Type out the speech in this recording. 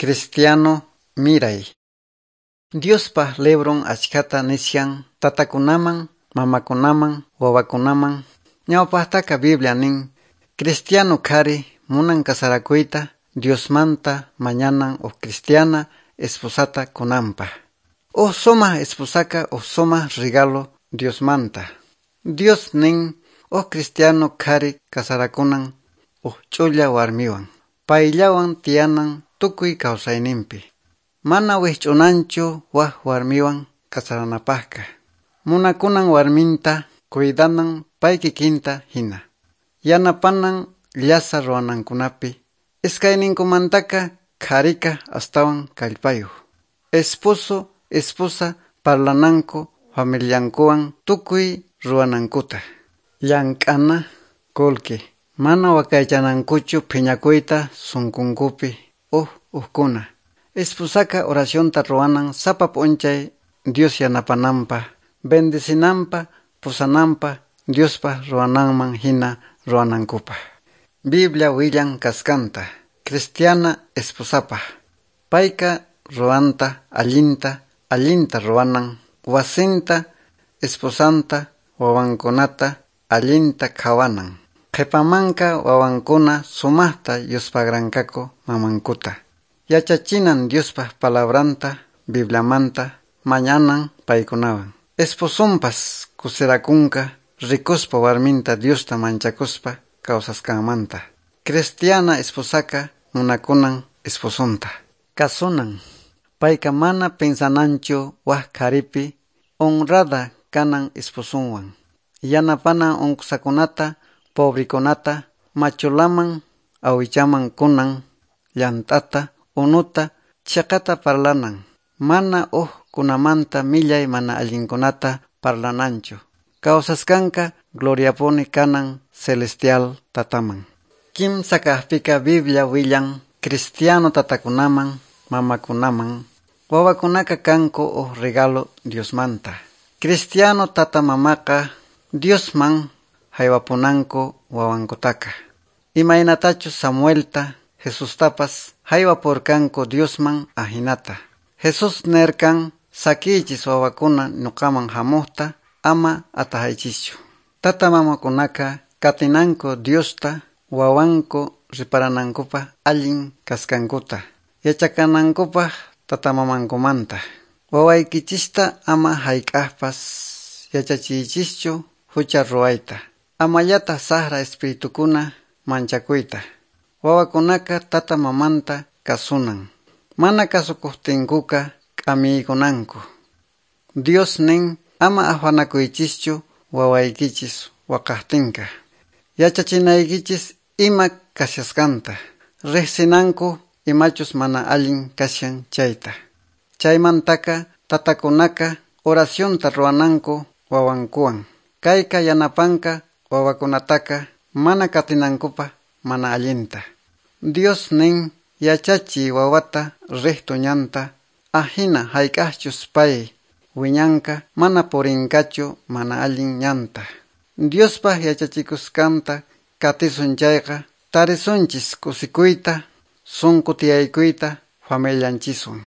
Cristiano miray. Diospa libron achkata nishan tatakunaman, mamakunaman, wawakunaman. Ñawpaqtaqa Biblia nin, cristiano qhari munan kasarakuyta Diosmanta mañanan huk cristiana esposata kunanpaq. Huk sumaq esposaka huk sumaq regalo Diosmanta. Dios nin huk cristiano qhari kasarakunan huk ch'ulla warmiwan. Payllawan tiyanan tukuy kawsayninpi. Mana wikch'unanchu wak warmiwan kasaranapaqqa. Munakunan warminta cuidanan pay kikinta hina. Yanapanan llasa ruwanankunapi. Iskayninkumantaqa qharika astawan kallpayuq. Esposo, esposa parlananku familiankuwan tukuy ruwanankuta. Llank'ana qullqi. Mana waqaychanankuchu phiñakuyta sunqunkupi huk hukkuna. Esposaka oracionta ruwanan sapa p'unchay Dios yanapananpaq, bendecinanpaq, pusananpaq, Diospa ruwananman hina ruwanankupaq. Biblia willan kaskanta, cristiana esposapaq. Payqa ruwanta allinta, allinta ruwanan, wasinta, esposanta, wawankunata allinta qhawanan. Qhipamanqa wawankuna sumaqta yuspaqranqaku mamankuta. Yachachinan Diospa palabranta, Bibliamanta, mañanan paykunawan. Esposonpas kusirakunqa rikuspa warminta Diosta manchakuspa kawsasqanmanta. Cristiana esposaka munakunan esposonta. Kasunan. Payqa mana pensananchu wak qharipi, honrada kanan esposonwan. Yanapanan unqusakunata, pobrikunata, machulaman, awichaman kunan, llant'ata, unuta, chiqata parlanan. Mana huk kunamanta millay mana allinkunata parlananchu. Kawsasqanqa gloriapuni kanan celestial tataman. Kimsa kaqpiqa Biblia willan cristiano tatakunaman, mamakunaman, wawakunaqa kanku huk regalo Diosmanta. Cristiano tata mamaqa Diosman haywapunanku wawankutaqa. Imaynatachus Samuelta, Jesustapas haywapurqanku Diosman ahinata. Jesús nerkan sakiychis wawakuna ñuqaman hamuqta ama atahaychischu. Tata mamakunaqa katinanku Diosta wawanku riparanankupaq allin kasqankuta. Yachakanankupaq tata mamankumanta. Wawaykichista ama hayk'aqpas yachachiychischu hucha ruwayta. Amallataq saqra espiritukuna manchakuyta. Wawakunaqa tata mamanta kasunan. Mana kasukuqtinkuqa k'amiykunanku. Dios nin ama afanakuychischu wawaykichis waqaqtinqa. Yachachinaykichis ima kashasqanta. Riqsinanku imachus mana allin kashan chayta. Chaymantaqa tatakunaqa oracionta ruwananku wawankuwan. Kayqa yanapanqa wawakunataqa mana katinankupaq mana allinta. Dios nin yachachiy wawata recto ñanta, ahina hayk'aqchus pay wiñanqa mana purinqachu mana allin ñanta. Diospa yachachikusqanta katisun chayqa tarisunchis kusikuyta, sunqu tiyaykuyta familianchiswan.